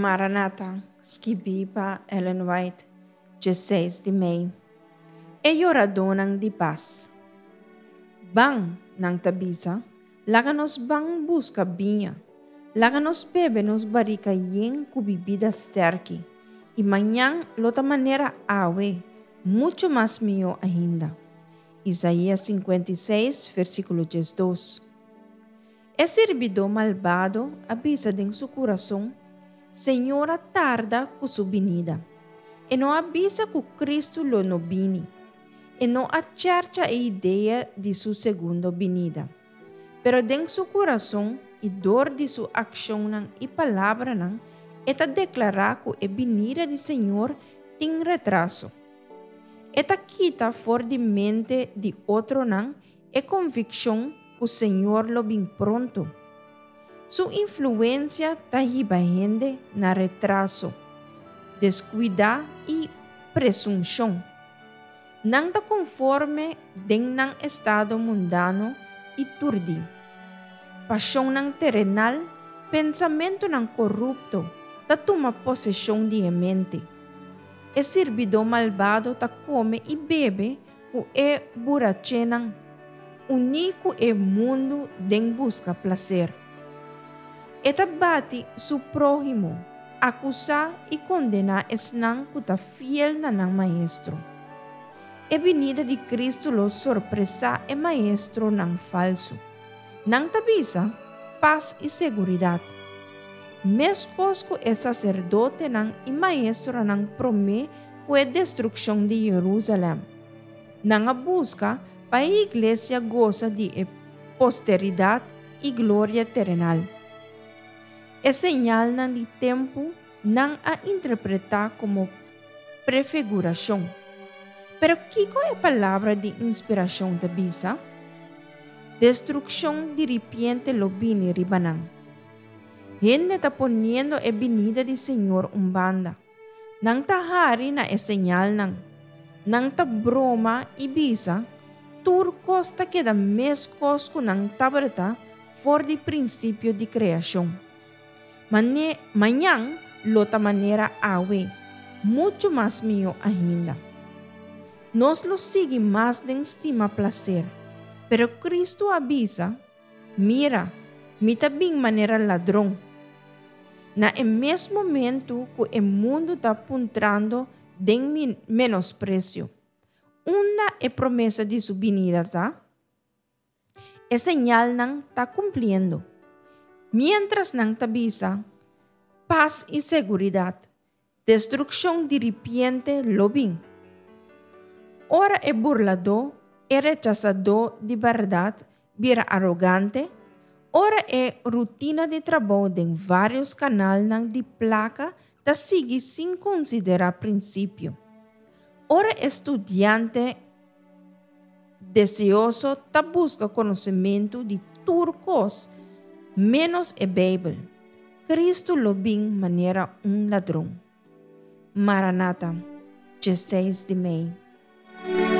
Maranata, skibí pa Ellen White, 16 di mei. E yoradónan di pas. Ban, nan ta bisa, laga nos ban buska biña. Laga nos bebe nos barika yen ku bibida stèrki, i mañan lo ta manera awe, muchu mas mihó ainda. Isaías 56, versíkulo 12. E sirbidó malbado a bisa den su kurason, Señor a tarda ku su binida. E no a bisa ku Kristu lo no bini. E no a chèrcha e idea di su segundo binida. Pero den su kurason i dor di su akshonnan i palabranan e ta deklará ku e binida di Señor tin retraso. E ta kita for di mente di otronan e konvikshon ku Señor lo bin pronto. Su influensia ta hiba hende na retraso, deskuidá i presunshon. Nan ta konforme den nan estado mundano i turdí. Pashonnan terenal, pensamentunan korupto ta tuma poseshon di e mente. E sirbidó malbado ta kome i bebe ku e burachenan, uní ku e mundu den buska plaser. E ta bati su próhimo, akusá i kondená esnan ku ta fiel na nan maestro. E binida di Kristu lo sorpresá e maestronan falsu. Nan ta bisa, Pas i seguridat! Meskos ku e saserdotenan i maestronan promé ku e destrukshon di Yerúsalèm. Nan a buska pa e iglesia gosa di e posteridat i gloria terenal. E señalnan di tempu nan a interpretá komo prefigurashon. Pero kiko e Palabra di inspirashon ta bisa? Destrukshon diripiente lo bini riba nan. Hende ta poniendo e binida di Señor un banda. Nan ta hari na e señalnan. Nan ta broma i bisa, Tur kos ta keda meskos ku nan tabata for di prinsipio di kreashon. Mane, mañan lo ta manera awe, muchu mas mihó ainda. Nos lo sigui mas den stima plaser, pero Kristu a bisa, Mira, mi ta bin manera ladron. Na e mes momentu ku e mundu ta puntrando den menospresio, Unda e promesa di su binida ta? E señalnan ta kumpliendo. Miéntras nan ta bisa, Pas i seguridat, Destrukshon diripiente lo bin. Ora e burladó, e rechasadó di bèrdat, bira arogante, ora e rutina di trabou den vários kanalnan di plaka ta sigui sin konsiderá prinsipio, ora e studiante deseoso ta buska konosementu di tur kos ménos e Beibel, Cristo lo bin manera un ladron. Maranata, 16 di mei.